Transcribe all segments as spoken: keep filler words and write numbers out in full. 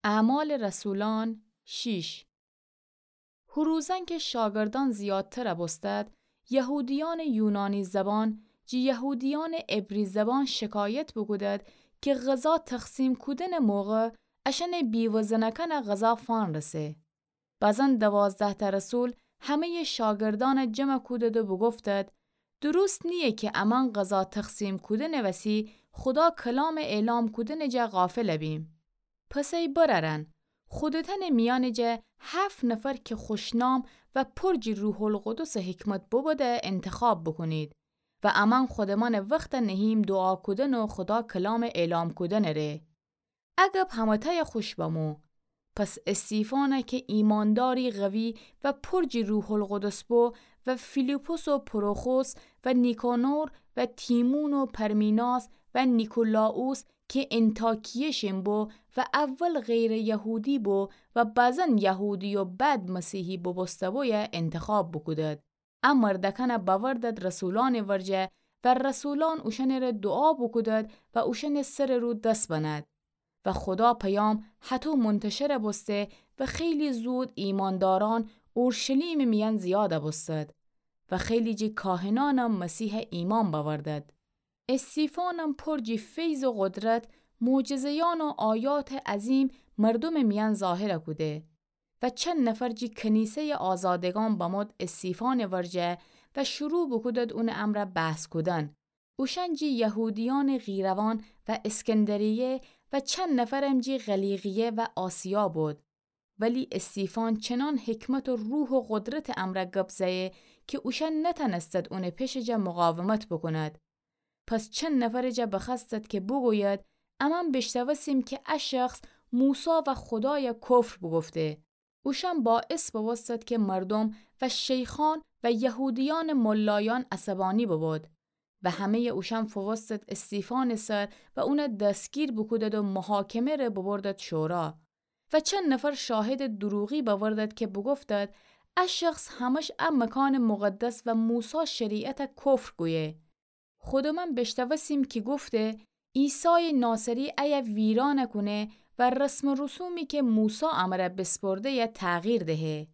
اعمال رسولان شیش. هو روزأن کی شاگردأن زیادتر بوستد، یهودیأنٚ یونانی زبان جی یهودیأنٚ عبری زبان شکایت بوکودد کی غذا تقسیم کودنٚ موقع اشأنٚ بیوه زنأکأن غذا فأنرسه. بزن دوازده‌تأ رسول همه‌یٚ شاگردأن جمع کودد و بوگفتد: درست نییه کی امأن غذا تقسیم کودنٚ وسی خودا کلامٚ اعلام کودنٚ جا غافل بیم. پس ای برأرأن، خودتأنٚ میأنٚ جا هفت نفر کی خوشنام و پر جی روح‌القدسٚ حکمت بوبوده انتخاب بوکونید و امأن خودمأنٚ وخت نهیم دوعا کودن و خودا کلامٚ اعلام کودنٚ ره. ا گب همه‌تأی خوش بمو. پس استیفان کی ایمانداری قوی و پر جی روح‌القدس بو و فیلیپس و پروخوس و نیکانور و تیمون و پرمیناس و نیکولاوس کی انطاکیه شین بو و اول غیرٚ یهودی بو و بزن یهودی و بعد مسیحی بوبوسته‌بویه انتخاب بوکودد. ا مردأکأن بأوردد رسولأنٚ ورجه و رسولأن اوشأنٚره دوعا بوکودد و اوشأنٚ سرٚ رو دس بند. و خودا پیام هطو منتشر بوسته و خیلی زود ایماندارأن اورشلیمٚ میأن زیاد بوستد و خیلی جی کاهنأنم مسیح ایمأن بأوردد. استیفانم پر جی فیض و قدرت، معجزه‌یأن و آیاتٚ عظیم مردومٚ میأن ظاهر کوده. و چند نفر جی کنیسه‌یٚ آزادگان بمود استیفانٚ ورجه و شروع بوکودد اونٚ امرأ بحث کودن. اوشأن جی یهودیأنٚ قیروان و اسکندریه و چند نفرم جی قلیقیه و آسیا بود. ولی استیفان چنان حکمت و روح و قدرتٚ امرأ گب زأیه کی اوشأن نتأنستد اونٚ پشٚ جا مقاومت بوکوند. پس چند نفرٚ جا بخوأستد کی بوگوید: امأن بیشنوستیم کی ا شخص موسی و خودای کفر بوگفته. اوشأن باعث بوبوستد کی مردوم و شیخأن و یهودیأنٚ ملایأن عصبانی ببود و همه‌یٚ اوشأن فووستد استیفانٚ سر و اون دستگیر بوکودد و محاکمه ره ببردد شورا. و چند نفر شاهدٚ دروغی بأوردد کی بوگفتد: ا شخص همش ا مکانٚ مقدس و موسی شریعت کفر گویه. خودمأن بیشنوستیم کی گفته: عیسایٚ ناصری ایه ویران کونه و رسم و رسومی کی موسی امرأ بیسپرده‌یه تغییر دهه.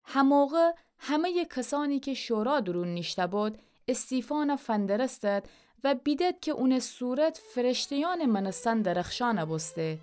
هموقع همه‌یٚ کسأنی کی شورا دورون نیشته‌بود، استیفان فندرستد و بیدد کی اونٚ صورت فرشته‌یأنٚ مأنستن درخشان بوسته.